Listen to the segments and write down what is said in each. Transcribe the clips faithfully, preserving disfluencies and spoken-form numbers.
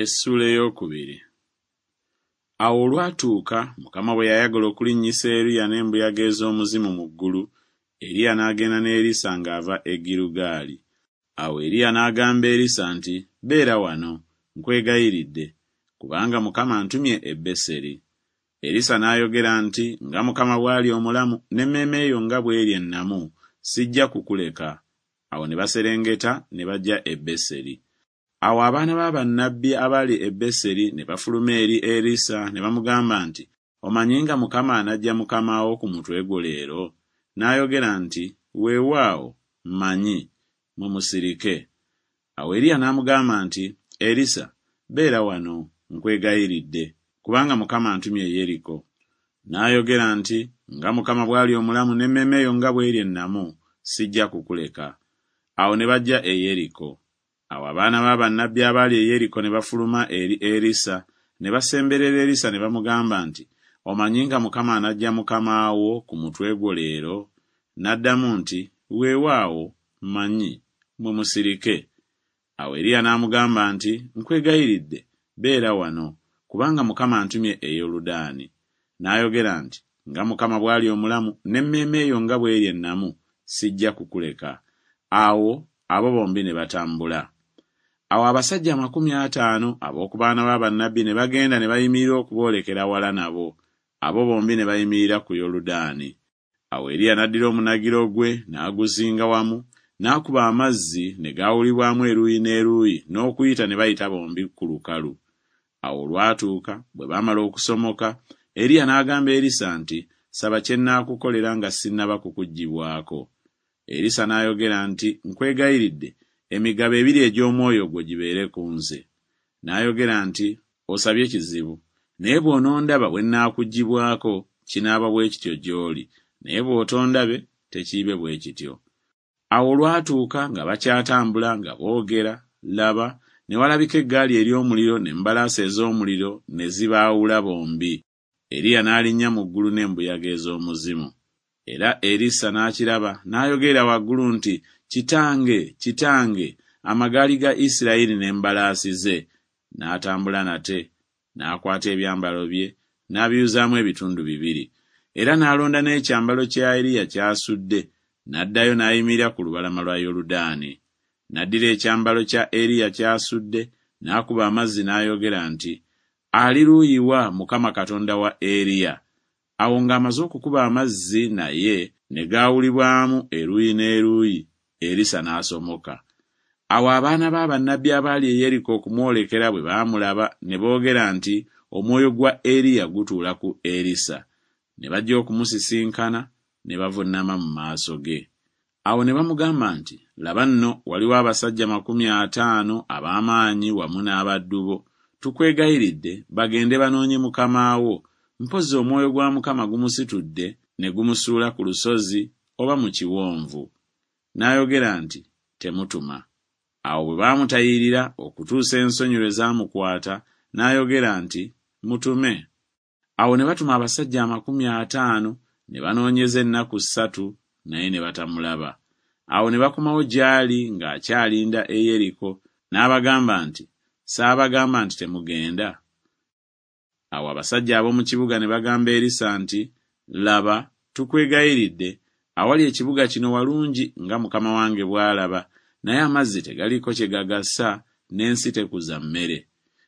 Essuula ey'okubiri. Awo olwatuuka Mukama bwe yayagala okulinnyisa Eriya n'embuyaga ez'omuzimu mu ggulu, Eriya n'agenda ne Erisa ng'ava e Girugaali. Awo Eriya n'agamba Erisa nti, Beera wano, nkwegayiridde, kubanga Mukama antumye e Beseri. Erisa n'ayogera nti, Nga Mukama bw'ali omulamu n'emmeeme yo nga bw'eri ennamu, sijja kukuleka. Awo ne baserengeta ne bajja e Beseri. Awo abaana ba bannabbi abaali e Beseri ne bafuluma eri Erisa ne bamugamba nti, Omanyi nga Mukama anaggya mukama wo ku mutwe gwo leero? N'ayogera nti, Weewaawo, mmanyi, mmwe musirike. Awo Eriya n'amugamba nti, Erisa, beera wano, nkwegayiridde, kubanga Mukama antumye e Yeriko. N'ayogera nti, Nga Mukama bw'ali omulamu n'emmeeme yo nga bw'eri ennamu, sijja kukuleka. Awo ne bajja e Yeriko. Awo abaana ba bannabbi abaali e Yeriko ne bafuluma eri Erisa, ne basemberera Erisa ne bamugamba nti, Omanyi nga Mukama anaggya mukama wo ku mutwe gwo leero? N'addamu nti, Weewaawo, mmanyi, mmwe musirike. Awo Eriya n'amugamba nti, Nkwegayiridde, beera wano, kubanga Mukama antumye e Yoludaani. N'ayogera nti, Nga Mukama bw'ali omulamu n'emmeeme yo nga bw'eri ennamu, sijja kukuleka. Awo abo bombi ne batambula. Awo abasajja amakumi ataano ab'oku baana ba bannabbi ne bagenda ne bayimirira okuboolekera wala nabo, abo bombi ne bayimirira ku Yoludaani. Awo Eriya n'addira omunagiro gwe n'aguzinga wamu, n'akuba amazzi ne gaawulibwamu eruuyi n'eruuyi n'okuyita ne bayita bombi ku lukalu. Awo olwatuuka bwe baamala okusomoka, Eriya n'agamba Erisa nti, Saba kye nnaakukolera nga sinnaba kukuggyibwako. Erisa n'ayogera nti, Nkwegayiridde, emigabo ebiri egy'omwoyo gwo gibeere ku nze. N'ayogera nti, Osabye kizibu, naye bw'onondaba bwe nnaakuggyibwako, kinaaba bwe kityo gy'oli, naye bw'otondabe, tekiibe bwe kityo. Awo olwatuuka nga bakyatambula nga boogera, laba, ne walabika eggaali ery'omuliro n'embalaasi ez'omuliro ne zibaawula bombi. Eriya n'alinnya mu ggulu n'embuyaga ez'omuzimu. Era Erisa n'akiraba n'ayogerera waggulu nti, Kitange, kitange, amagaali ga Isirayiri n'embalaasi ze! N'atambula nate, n'akwata ebyambalo bye, n'abiyuzaamu ebitundu bibiri. Era n'alonda n'ekyambalo kya Eriya ky'asudde, n'addayo n'ayimirira ku lubalama lwa Yoludaani. N'addira ekyambalo kya Eriya ky'asudde, n'akuba amazzi n'ayogera nti, Ali luuyi wa Mukama Katonda wa Eriya? Awo ng'amaze okukuba amazzi naye ne gaawulibwamu eruuyi n'eruuyi, Erisa n'asomoka. Awo abaana ba bannabbi abaali e Yeriko okumwolekera bwe baamulaba ne boogera nti, Omwoyo gwa Eriya gutuula ku Erisa. Ne bajja okumusisinkana ne bavuunama mu maaso ge. Awo ne bamugamba nti, Laba nno, waliwo abasajja makumi ataano ab'amaanyi wamu n'abaddu bo. Tukwegayiridde bagende banoonye mukama wo, mpozzi omwoyo gwa Mukama gumusitudde ne gumusuula ku lusozi oba mu kiwonvu. N'ayogera nti, Temutuma. Awo bwe baamutayirira okutuusa ensonyi lwe zaamukwata, n'ayogera nti, Mutume. Awo ne batuma abasajja amakumi ataano, ne banoonyeza ennaku ssatu, naye ne batamulaba. Awo ne bakomawo gy'ali ng'akyalinda e Yeriko, n'abagamba nti, Saabagamba nti temugenda? Awo abasajja ab'omu kibuga ne bagamba Erisa nti, Laba, tukwegayiridde, awali ekibuga kino walungi nga mukama wange bw'alaba, naye amazzi tegaliiko kye gagasa, n'ensi tekuza mmere.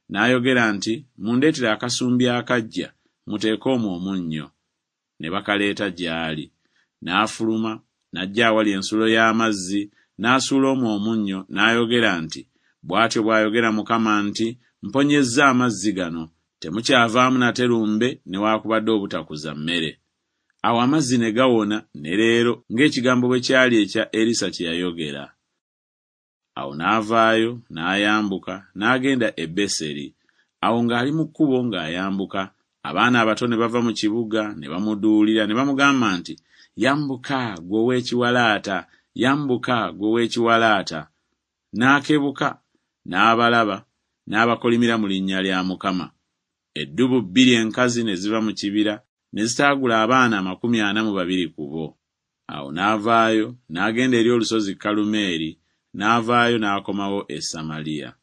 N'ayogera nti, Mundeetere akasumbi akaggya, muteeke omwo omunnyo. Ne bakaleeta gy'ali. N'afuluma, n'ajja awali ensulo y'amazzi, n'asuula omwo omunnyo, n'ayogera nti, Bw'atyo bw'ayogera Mukama nti, Mponyezza amazzi gano, temukyavaamu nate lumbe newaakubadde obutakuza mmere. Awo amazzi ne gawona ne leero ng'ekigambo bwe kyali ekya Erisa kye yayogera. Awo n'avaayo, n'ayambuka, n'agenda e Beseri. Awo ng'ali mu kkubo ng'ayambuka, abaana abato ne bava mu kibuga ne bamuduulira ne bamugamba nti, Yambuka, ggwe ow'ekiwalaata, yambuka, ggwe ow'ekiwalaata. N'akebuka, n'abalaba, n'abakolimira mu linnya lya Mukama. Eddubu bbiri enkazi ne ziva mu kibira, ne zitaagula abaana amakumi ana mu babiri ku bo. Awo n'avaayo, n'agenda eri olusozi Kalumeeri, n'avaayo n'akomawo e Samaliya.